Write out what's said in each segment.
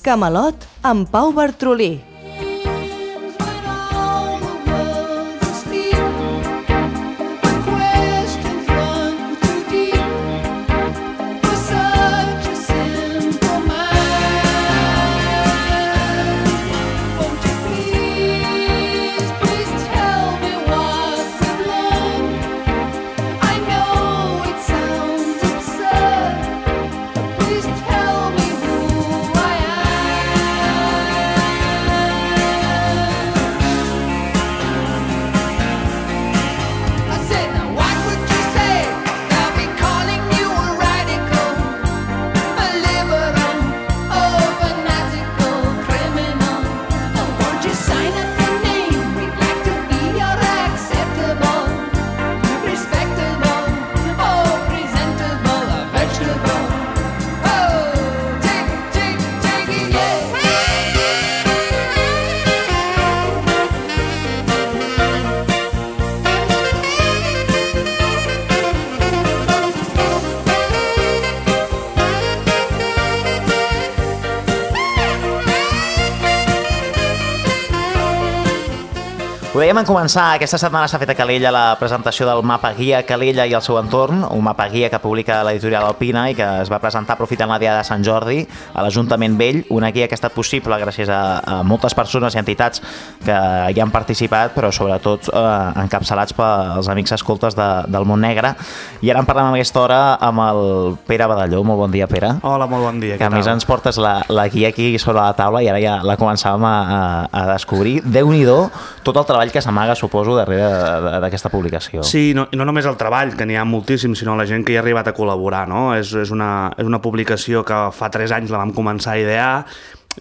Camelot amb Pau Bartrolí. Ho dèiem en començar, aquesta setmana s'ha fet a Calella la presentació del mapa guia Calella i el seu entorn, un mapa guia que publica l'editorial Alpina i que es va presentar aprofitant la Diada de Sant Jordi a l'Ajuntament Vell, una guia que ha estat possible gràcies a moltes persones i entitats que hi han participat, però sobretot encapçalats pels amics escoltes del món negre. I ara en parlem a aquesta hora amb el Pere Badalló. Molt bon dia, Pere. Hola, molt bon dia. Que a més ens portes la guia aquí sobre la taula i ara ja la començàvem a descobrir. Déu-n'hi-do tot el treball que s'amaga, suposo, darrere d'aquesta publicació. Sí, no només el treball, que n'hi ha moltíssim, sinó la gent que hi ha arribat a col·laborar, no? És una publicació que fa 3 anys la vam començar a idear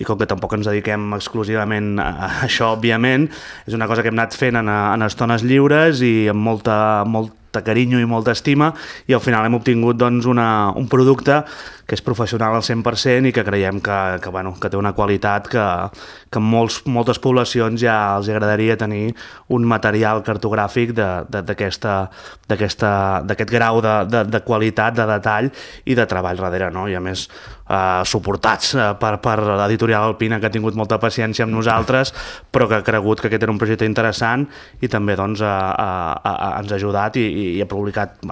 i com que tampoc ens dediquem exclusivament a això, òbviament, és una cosa que hem anat fent en estones lliures i amb molta carinyo i molta estima, i al final hem obtingut doncs, un producte que és professional al 100% i que creiem que té una qualitat que en moltes poblacions ja els agradaria tenir un material cartogràfic d'aquest grau de qualitat, de detall i de treball darrere, no? I a més suportats per l'editorial Alpina, que ha tingut molta paciència amb nosaltres, però que ha cregut que aquest era un projecte interessant i també doncs, ens ha ajudat i ha publicat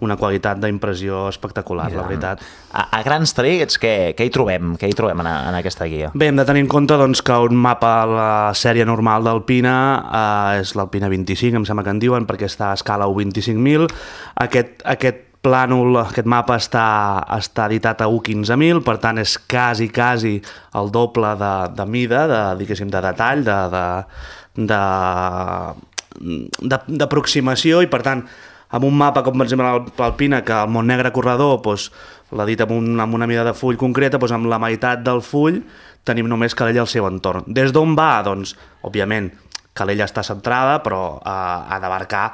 una qualitat d'impressió espectacular, la veritat. A grans trets, què hi trobem? Què hi trobem en aquesta guia? Bé, hem de tenir en compte doncs, que un mapa a la sèrie normal d'Alpina és l'Alpina 25, em sembla que en diuen, perquè està a escala U25.000. Aquest plànol, aquest mapa està editat a U15.000, per tant és quasi el doble de mida, diguéssim, de detall, d'aproximació, i per tant amb un mapa com per exemple l'Alpina, que el Mont Negre Corredor l'ha dit amb una mida de full concreta, amb la meitat del full tenim només Calella al seu entorn. Des d'on va? Doncs, òbviament, Calella està centrada, però ha d'abarcar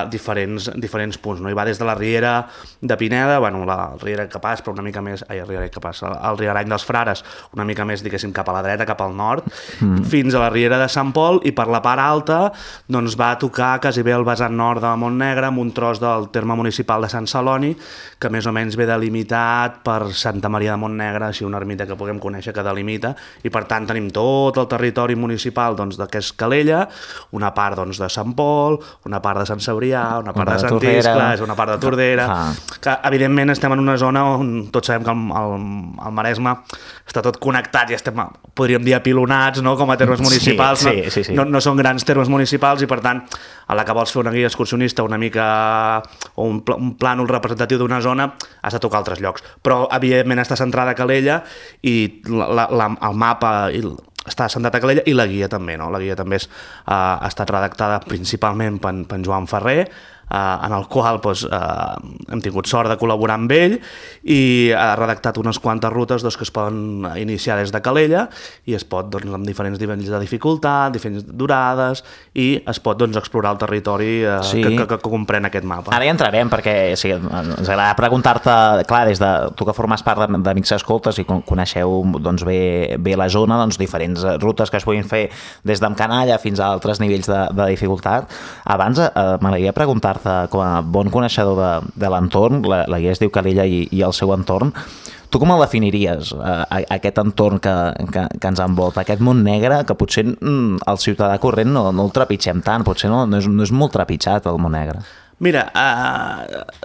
diferents punts, no? I va des de la Riera de Pineda, la Riera Capaç, però una mica més, el Riarany dels Frares, una mica més, diguéssim, cap a la dreta, cap al nord, fins a la Riera de Sant Pol, i per la part alta doncs va tocar quasi bé el vessant nord de Montnegre, amb un tros del terme municipal de Sant Celoni, que més o menys ve delimitat per Santa Maria de Montnegre, així una ermita que puguem conèixer que delimita, i per tant tenim tot el territori municipal d'aquest Calella, una part de Sant Pol, una part de Sant Cebrià, una part de Sant Iscle, una part de Tordera, que evidentment estem en una zona on tots sabem que el Maresme està tot connectat i estem, podríem dir, apilonats, no? Com a termes municipals. Sí. No són grans termes municipals i per tant a la que vols fer una guia excursionista una mica o un plànol representatiu d'una zona has de tocar altres llocs, però evidentment està centrada a Calella i el mapa està centrat a Calella i la guia també, no? La guia també ha estat redactada principalment per Joan Ferrer, en el qual hem tingut sort de col·laborar amb ell, i ha redactat unes quantes rutes que es poden iniciar des de Calella i es pot, amb diferents nivells de dificultat, diferents durades, i es pot explorar el territori que comprèn aquest mapa. Ara hi entrarem, perquè ens agrada preguntar-te, clar, des de tu que formes part d'Amics Escoltes i coneixeu bé la zona, diferents rutes que es puguin fer des d'Amcanalla fins a altres nivells de dificultat. Abans m'agradaria preguntar-te, com a bon coneixedor de l'entorn, la guia es diu Calella i el seu entorn, Tu com el definiries, aquest entorn que ens envolta, aquest món negre, que potser el ciutadà corrent no el trepitgem tant, potser no és molt trepitjat el món negre? Mira,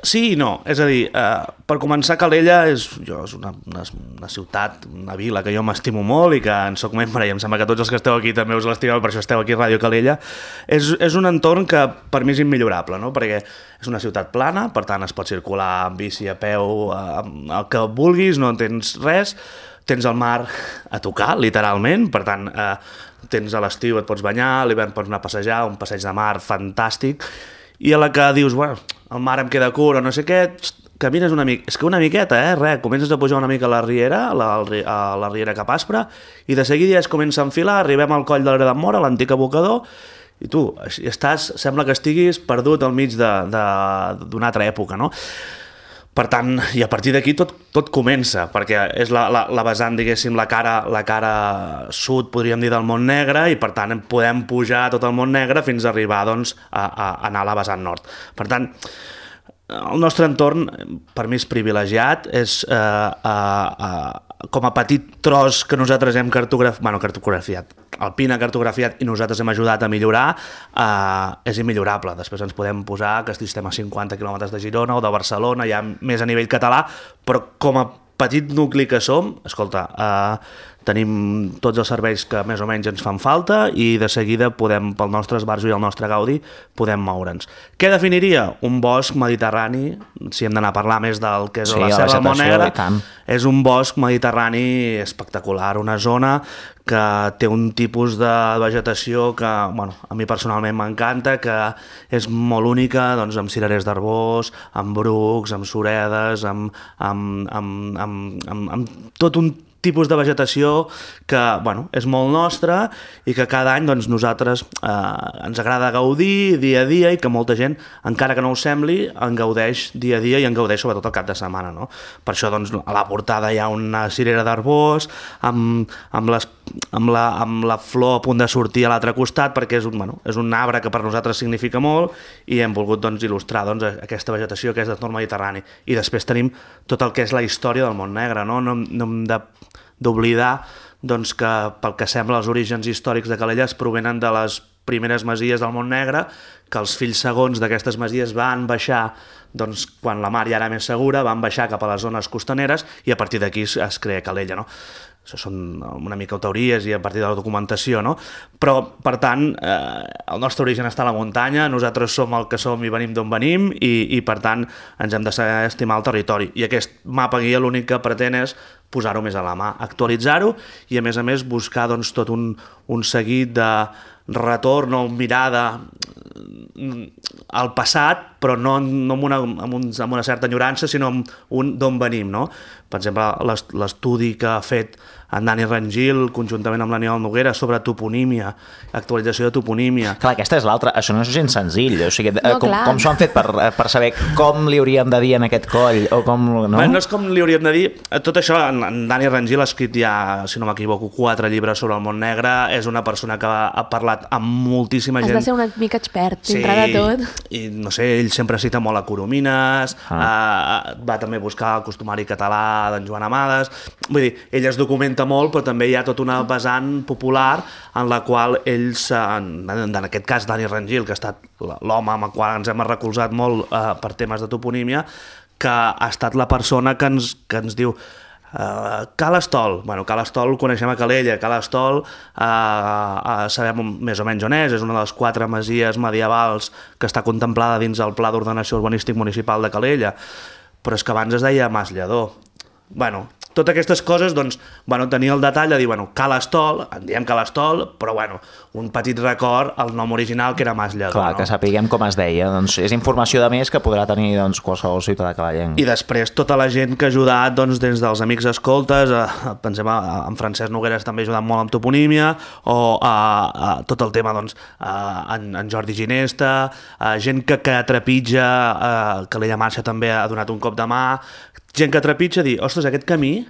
sí i no. És a dir, per començar, Calella és una ciutat, una vila que jo m'estimo molt i que en soc membre, i em sembla que tots els que esteu aquí també us l'estimeu, per això esteu aquí a Ràdio Calella. És un entorn que per mi és immillorable, no? Perquè és una ciutat plana, per tant es pot circular amb bici, a peu, el que vulguis, no tens res, tens el mar a tocar, literalment, per tant, tens a l'estiu et pots banyar, a l'hivern pots anar a passejar, un passeig de mar fantàstic, i a la que dius, bueno, el mar em queda curt o no sé què, camines una mica, és que una miqueta, res, comences a pujar una mica a la riera, a la riera Cap Aspre, i de seguida ja es comença a enfilar, arribem al coll de l'Era d'en Mora, l'antic abocador, i tu sembla que estiguis perdut al mig d'una altra època, no? Per tant, i a partir d'aquí tot comença, perquè és la vessant, diguéssim, la cara sud, podríem dir, del món negre, i per tant podem pujar tot el món negre fins a arribar doncs, a anar a la vessant nord. Per tant, el nostre entorn, per mi, és privilegiat, és com a petit tros que nosaltres hem cartografiat, el PIN ha cartografiat i nosaltres hem ajudat a millorar, és immillorable. Després ens podem posar que estem a 50 quilòmetres de Girona o de Barcelona, ja més a nivell català, però com a petit nucli que som, escolta, tenim tots els serveis que més o menys ens fan falta i de seguida podem, pel nostre esbarjo i el nostre gaudi, podem moure'ns. Què definiria? Un bosc mediterrani, si hem d'anar a parlar més del que és la selva del Mont Negre, és un bosc mediterrani espectacular, una zona que té un tipus de vegetació que, bueno, a mi personalment m'encanta, que és molt única, doncs, amb cirerers d'arbós, amb brucs, amb suredes, amb tot un tipus de vegetació que, bueno, és molt nostra i que cada any doncs, nosaltres ens agrada gaudir dia a dia i que molta gent, encara que no ho sembli, en gaudeix dia a dia i en gaudeix sobretot el cap de setmana, no? Per això doncs, a la portada hi ha una cirera d'arbós amb la flor a punt de sortir a l'altre costat, perquè és un arbre que per nosaltres significa molt i hem volgut doncs, il·lustrar doncs, aquesta vegetació que és d'entorn mediterrani. I després tenim tot el que és la història del món negre, no hem d'oblidar doncs, que pel que sembla els orígens històrics de Calella es provenen de les primeres masies del Mont Negre, que els fills segons d'aquestes masies van baixar, doncs, quan la mar ja era més segura, van baixar cap a les zones costaneres i a partir d'aquí es crea Calella, no? Això són una mica teories i a partir de la documentació, no? Però, per tant, el nostre origen està a la muntanya, nosaltres som el que som i venim d'on venim i per tant, ens hem de saber estimar el territori. I aquest mapa guia l'únic que pretén és posar-ho més a la mà, actualitzar-ho i, a més, buscar doncs, tot un seguit de retorn o mirada al passat, però no amb una certa enyorança, sinó amb d'on venim, no? Per exemple, l'estudi que ha fet en Dani Rangil, conjuntament amb l'Aniol Noguera, sobre toponímia, actualització de toponímia. Clar, aquesta és l'altra. Això no és gens senzill. O sigui, com s'ho han fet per saber com li hauríem de dir en aquest coll? O com, no? No és com li hauríem de dir. Tot això, en Dani Rangil ha escrit ja, si no m'equivoco, 4 llibres sobre el món negre. És una persona que ha parlat amb moltíssima gent. Has de ser una mica expert, dintre de tot. I, no sé, ell sempre cita molt a Coromines, va també buscar el costumari català d'en Joan Amades. Vull dir, ell es documenta molt, però també hi ha tota una vessant popular en la qual ells, en aquest cas Dani Rangil, que ha estat l'home amb el qual ens hem recolzat molt per temes de toponímia, que ha estat la persona que ens diu Cal Estol. Bueno, Cal Estol coneixem a Calella, Cal Estol sabem més o menys on és una de les 4 masies medievals que està contemplada dins el Pla d'Ordenació Urbanístic Municipal de Calella, però és que abans es deia Mas Lledó. Bueno, totes aquestes coses, doncs, tenir el detall de dir, Cal Estol, en diem Cal Estol, però, un petit record al nom original que era Mas Lledó. Clar, no? Que sapiguem com es deia. Doncs és informació de més que podrà tenir qualsevol ciutadà cavallenc. I després tota la gent que ha ajudat des dels amics escoltes, pensem en Francesc Nogueres també ha ajudat molt amb toponímia, o tot el tema, en Jordi Ginesta, gent que trepitja, Calella Marxa també ha donat un cop de mà, gent que trepitja dir, ostres, aquest camí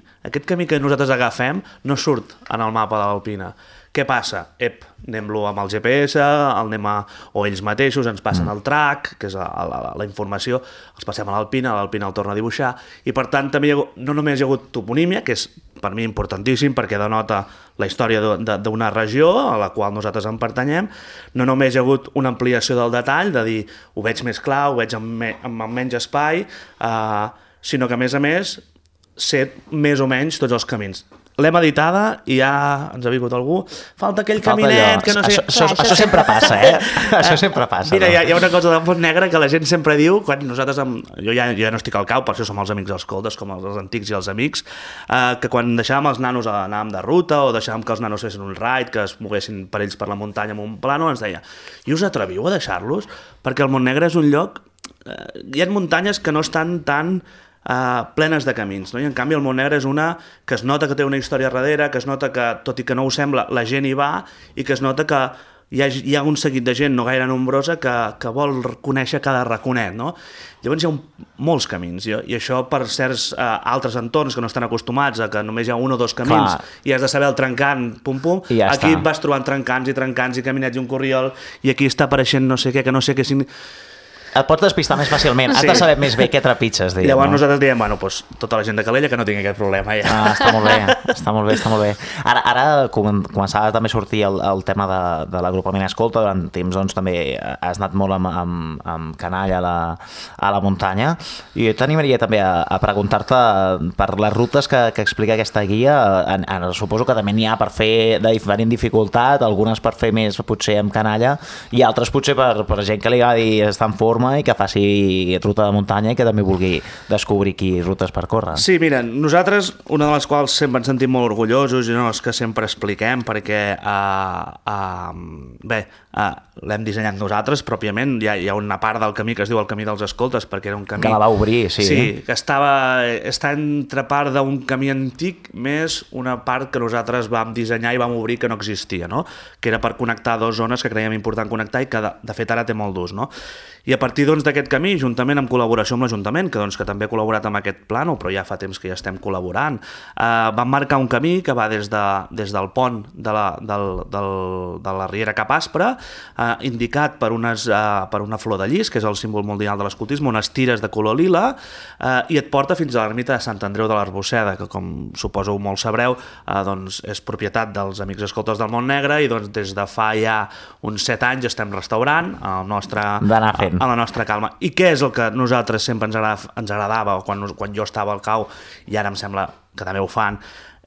que nosaltres agafem no surt en el mapa de l'Alpina. Què passa? Anem-lo amb el GPS, o ells mateixos ens passen el track, que és la informació, els passem a l'Alpina el torna a dibuixar, i per tant també no només hi ha hagut toponímia, que és per mi importantíssim perquè denota la història d'una regió a la qual nosaltres en pertanyem, no només hi ha hagut una ampliació del detall, de dir ho veig més clar, ho veig amb menys espai, sinó que a més sé més o menys tots els camins. L'hem editada i ja ens ha vingut algú. Falta aquell caminet que no sé... Això sempre passa, Això sempre passa. Mira, hi ha una cosa del Montnegre que la gent sempre diu, quan nosaltres... Jo ja no estic al cau, per això som els amics dels coldes, com els antics i els amics, que quan deixàvem els nanos anàvem de ruta o deixàvem que els nanos fessin un ride, que es moguessin per ells per la muntanya amb un plano, ens deia, i us atreviu a deixar-los? Perquè el Montnegre és un lloc... Hi ha muntanyes que no estan tan... plenes de camins, no? I en canvi el Montnegre és una que es nota que té una història darrere, que es nota que, tot i que no ho sembla, la gent hi va i que es nota que hi ha un seguit de gent no gaire nombrosa que vol conèixer cada raconet, no? Llavors hi ha molts camins i això per certs altres entorns que no estan acostumats a que només hi ha un o dos camins i has de saber el trencant, pum, ja aquí està. vas trobant trencants i caminets i un corriol i aquí està apareixent no sé què, que no sé què et pots despistar més fàcilment, has de saber més bé què trepitges. Llavors nosaltres diem, bueno, doncs, tota la gent de Calella que no tingui aquest problema. Ja. Està molt bé. Ara començava també a sortir el tema de l'agrupament escolta, durant temps doncs, també has anat molt amb canalla a la muntanya, i jo t'animaria també a preguntar-te per les rutes que explica aquesta guia. Suposo que també n'hi ha per fer de diferent dificultat, algunes per fer més potser amb canalla, i altres potser per gent que li agradi estar en forma i que faci ruta de muntanya i que també vulgui descobrir aquí rutes per córrer. Sí, mira, nosaltres, una de les quals sempre ens sentim molt orgullosos i no és que sempre expliquem perquè l'hem dissenyat nosaltres pròpiament, hi ha una part del camí que es diu el camí dels escoltes perquè era un camí... Que la va obrir, sí. Sí, que està entre part d'un camí antic més una part que nosaltres vam dissenyar i vam obrir que no existia, no? Que era per connectar dues zones que creiem important connectar i que de fet ara té molt d'ús, no? I a partir d'aquest camí, juntament amb col·laboració amb l'Ajuntament, que també ha col·laborat amb aquest plànol, però ja fa temps que ja estem col·laborant, vam marcar un camí que va des del pont de la Riera Cap Aspre, indicat per una flor de llis, que és el símbol mundial de l'escoltisme, unes tires de color lila, i et porta fins a l'ermita de Sant Andreu de l'Arbosseda, que com suposo molt sabreu, doncs és propietat dels Amics Escoltes del Montnegre i doncs des de fa ja uns 7 anys estem restaurant a la nostra calma. I què és el que nosaltres sempre ens agradava, o quan jo estava al cau, i ara em sembla que també ho fan,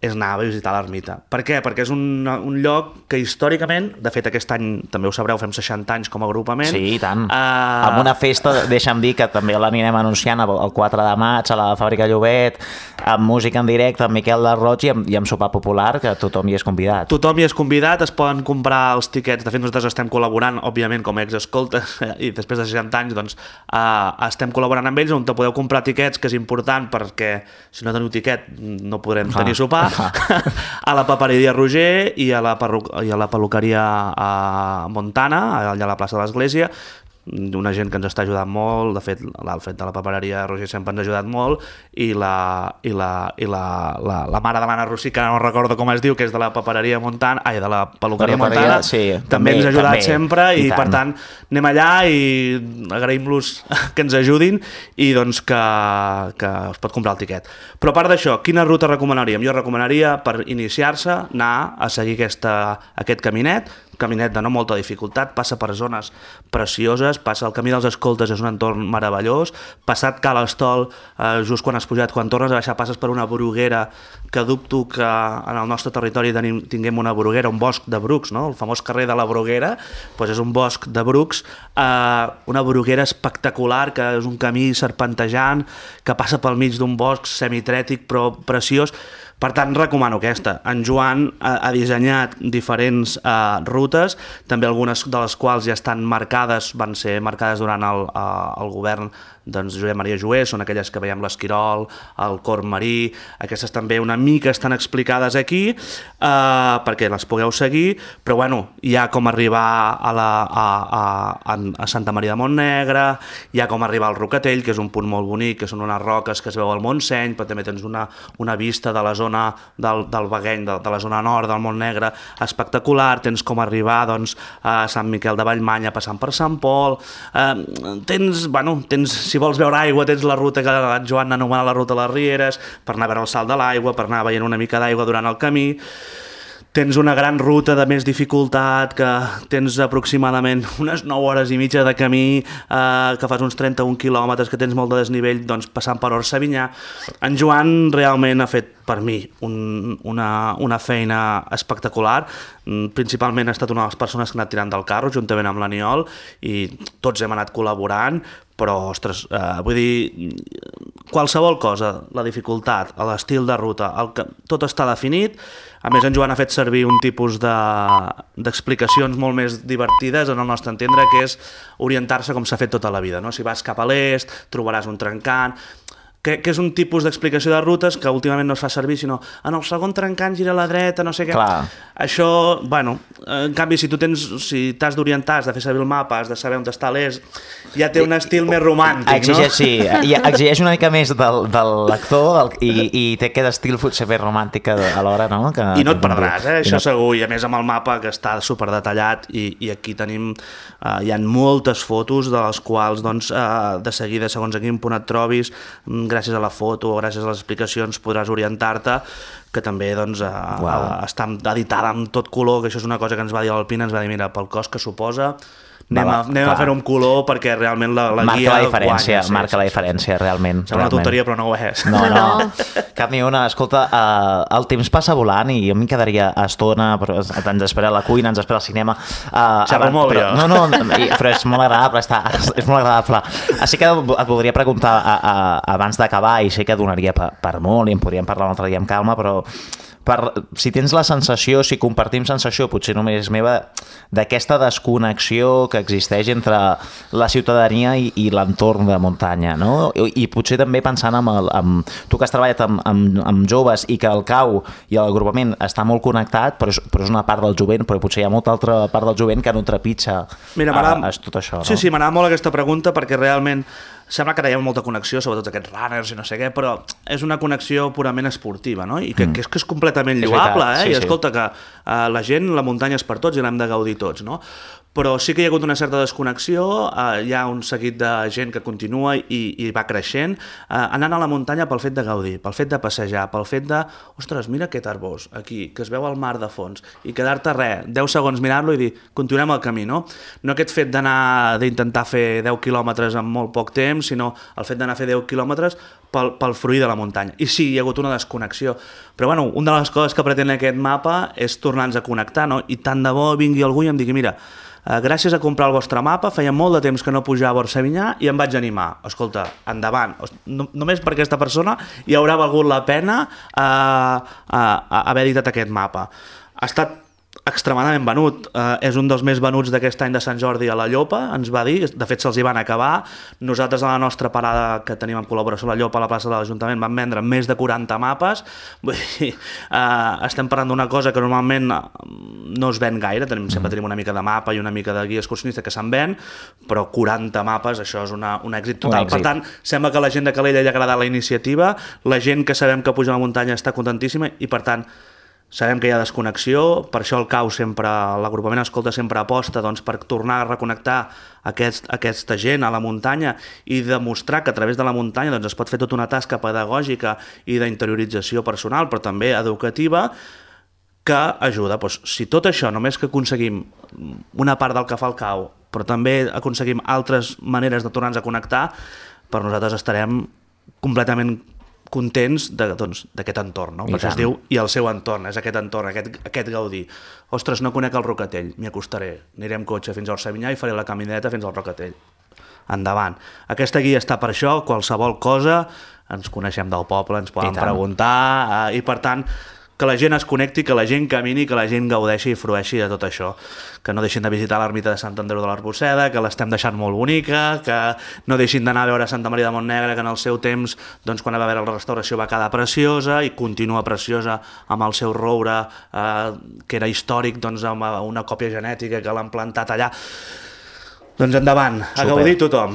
és anar a visitar l'ermita. Per què? Perquè és un lloc que històricament, de fet aquest any, també ho sabreu, fem 60 anys com a agrupament. Sí, i tant. Amb una festa, deixa'm dir que també l'anirem anunciant el 4 de maig a la Fàbrica Llobet, amb música en directe, amb Miquel de Roig i amb sopar popular, que tothom hi és convidat. Tothom hi és convidat, es poden comprar els tiquets, de fet nosaltres estem col·laborant, òbviament com a exescoltes, i després de 60 anys doncs, estem col·laborant amb ells, on te podeu comprar tiquets, que és important perquè si no teniu tiquet no podrem tenir sopar, a la papereria Roger i a la peluqueria Montana, allà a la plaça de l'Església, una gent que ens està ajudant molt, de fet l'Alfred de la papereria Roger sempre ens ha ajudat molt, i la mare de l'Anna Rossi, que no recordo com es diu, que és de la papereria Montana, de la peluqueria Montana, sí, també ens ha ajudat sempre, i per tant anem allà i agraïm-los que ens ajudin i doncs que es pot comprar el tiquet. Però a part d'això, quina ruta recomanaríem? Jo recomanaria per iniciar-se anar a seguir aquest caminet de no molta dificultat, passa per zones precioses, passa el camí dels escoltes, és un entorn meravellós, passat Cal Estol, just quan has pujat, quan tornes a baixar passes per una bruguera, que dubto que en el nostre territori tinguem una bruguera, un bosc de brucs, no? El famós carrer de la Bruguera, doncs és un bosc de brucs, una bruguera espectacular, que és un camí serpentejant, que passa pel mig d'un bosc semitrètic però preciós. Per tant, recomano aquesta. En Joan ha dissenyat diferents rutes, també algunes de les quals ja estan marcades, van ser marcades durant el govern doncs, Josep Maria Joé, són aquelles que veiem l'Esquirol, el Corb Marí, aquestes també una mica estan explicades aquí perquè les pugueu seguir, però bueno, hi ha com arribar a Santa Maria de Montnegre, hi ha com arribar al Rocatell, que és un punt molt bonic, que són unes roques que es veu al Montseny, però també tens una vista de la zona del Bagueny, de la zona nord del Montnegre, espectacular, tens com arribar doncs, a Sant Miquel de Vallmanya passant per Sant Pol, tens, si vols veure aigua, tens la ruta que en Joan anomena la ruta de les Rieres, per anar a veure el salt de l'aigua, per anar veient una mica d'aigua durant el camí. Tens una gran ruta de més dificultat, que tens aproximadament unes 9 hores i mitja de camí, que fas uns 31 quilòmetres, que tens molt de desnivell, doncs passant per Orsavinyà. En Joan realment ha fet per mi una feina espectacular. Principalment ha estat una de les persones que ha anat tirant del carro juntament amb l'Aniol, i tots hem anat col·laborant, però, ostres, vull dir, qualsevol cosa, la dificultat, l'estil de ruta, tot està definit. A més, en Joan ha fet servir un tipus d'explicacions molt més divertides, en el nostre entendre, que és orientar-se com s'ha fet tota la vida, no? Si vas cap a l'est, trobaràs un trencant, que és un tipus d'explicació de rutes que últimament no es fa servir, sinó en el segon trencant gira a la dreta, no sé què. Clar. Això, bueno, en canvi, si t'has d'orientar, has de fer servir el mapa, has de saber on està l'est, ja té un estil més romàntic, no? Sí, i exigeix una mica més del lector i té aquest estil potser més romàntic alhora, no? I no et perdràs, això segur, i a més amb el mapa que està superdetallat, i aquí tenim, hi ha moltes fotos de les quals, doncs, de seguida, segons a quin punt et trobis, gràcies a la foto o gràcies a les explicacions podràs orientar-te, que també doncs, està editada amb tot color, que això és una cosa que ens va dir l'Alpina, ens va dir, mira, pel cost que suposa, anem a fer un color perquè realment la guia guanya. Marca la diferència, realment. Sembla una tonteria, però no ho és. No, cap ni una. Escolta, el temps passa volant i jo m'hi quedaria estona, però ens espera la cuina, ens espera el cinema. Xerro molt, jo. No, però és molt agradable, és molt agradable. Així que et voldria preguntar abans d'acabar, i sé que donaria per molt i en podríem parlar un altre dia amb calma, però si tens la sensació, si compartim sensació, potser només meva, d'aquesta desconnexió que existeix entre la ciutadania i l'entorn de muntanya, no? I potser també pensant amb tu que has treballat amb joves i que el CAU i l'agrupament està molt connectat, però és una part del jovent, però potser hi ha molta altra part del jovent que no trepitja tot això, no? Sí, m'agrada molt aquesta pregunta perquè realment sembla que ara hi ha molta connexió, sobretot aquests runners i no sé què, però és una connexió purament esportiva, no? I que és completament lloable, i escolta, que la gent, la muntanya és per tots i l'hem de gaudir tots, no? Però sí que hi ha hagut una certa desconnexió, hi ha un seguit de gent que continua i va creixent, anant a la muntanya pel fet de gaudir, pel fet de passejar, pel fet de, ostres, mira aquest arbós aquí, que es veu el mar de fons, i quedar-te 10 segons mirar-lo i dir, continuem el camí, no? No aquest fet d'intentar fer 10 quilòmetres en molt poc temps, sinó el fet d'anar a fer 10 quilòmetres pel fruir de la muntanya. I sí, hi ha hagut una desconnexió. Però bueno, una de les coses que pretén aquest mapa és tornar-nos a connectar, no? I tant de bo vingui algú i em digui, mira, gràcies a comprar el vostre mapa, feia molt de temps que no pujava a Orsavinyà i em vaig animar. Escolta, endavant. Només per aquesta persona hi haurà valgut la pena haver editat aquest mapa. Ha estat extremadament venut, és un dels més venuts d'aquest any de Sant Jordi a la Llopa, ens va dir, de fet se'ls hi van acabar. Nosaltres a la nostra parada que tenim en col·laboració a la Llopa a la plaça de l'Ajuntament vam vendre més de 40 mapes. Vull dir, estem parlant d'una cosa que normalment no es ven gaire, sempre tenim una mica de mapa i una mica de guia excursionista que se'n ven, però 40 mapes, això és un èxit total. Per tant, sembla que a la gent de Calella li ha agradat la iniciativa, la gent que sabem que puja a la muntanya està contentíssima i per tant sabem que hi ha desconnexió, per això el CAU sempre, l'agrupament Escolta sempre aposta per tornar a reconnectar aquesta gent a la muntanya i demostrar que a través de la muntanya es pot fer tota una tasca pedagògica i d'interiorització personal, però també educativa, que ajuda. Si tot això, només que aconseguim una part del que fa el CAU, però també aconseguim altres maneres de tornar-nos a connectar, per nosaltres estarem completament contents d'aquest entorn, no? Perquè es diu i el seu entorn, és aquest entorn, aquest gaudir. Ostres, no conec el Rocatell, m'hi acostaré, aniré amb cotxe fins a Orsavinyà i faré la camineta fins al Rocatell. Endavant. Aquesta guia està per això, qualsevol cosa, ens coneixem del poble, ens poden preguntar, i per tant, que la gent es connecti, que la gent camini, que la gent gaudeixi i frueixi de tot això. Que no deixin de visitar l'ermita de Sant Andreu de l'Arbosseda, que l'estem deixant molt bonica, que no deixin d'anar a veure Santa Maria de Montnegre, que en el seu temps, doncs, quan va haver la restauració va quedar preciosa i continua preciosa amb el seu roure, que era històric, doncs, amb una còpia genètica que l'han plantat allà. Doncs endavant, a gaudir tothom.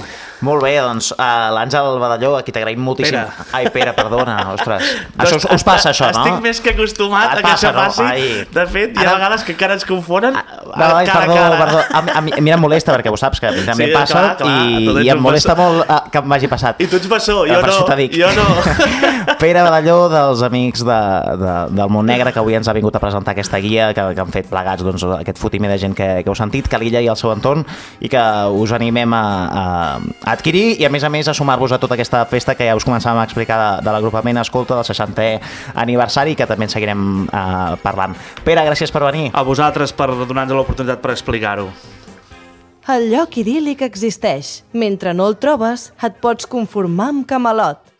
Molt bé, doncs l'Àngel Badalló, a qui t'agraïm moltíssim. Pere. Ai, Pere, perdona, ostres. Això us passa, això, no? Estic més que acostumat a que això passi. De fet, hi ha vegades que encara ens confonen Ai, perdó. A mi em molesta, perquè ho saps, que també passa, i em molesta molt que m'hagi passat. I tu ets bessó, jo per no. Això t'ho dic. Jo no. Pere Badalló, dels amics del Montnegre, que avui ens ha vingut a presentar aquesta guia, que han fet plegats doncs, aquest fotimer de gent que heu sentit, Calella i el seu entorn, i que us animem a adquirir i a més a sumar-vos a tota aquesta festa que ja us començàvem a explicar de l'agrupament Escolta del 60è aniversari, que també en seguirem parlant. Pere, gràcies per venir. A vosaltres per donar-nos l'oportunitat per explicar-ho. El lloc idíl·lic existeix. Mentre no el trobes, et pots conformar amb Camelot.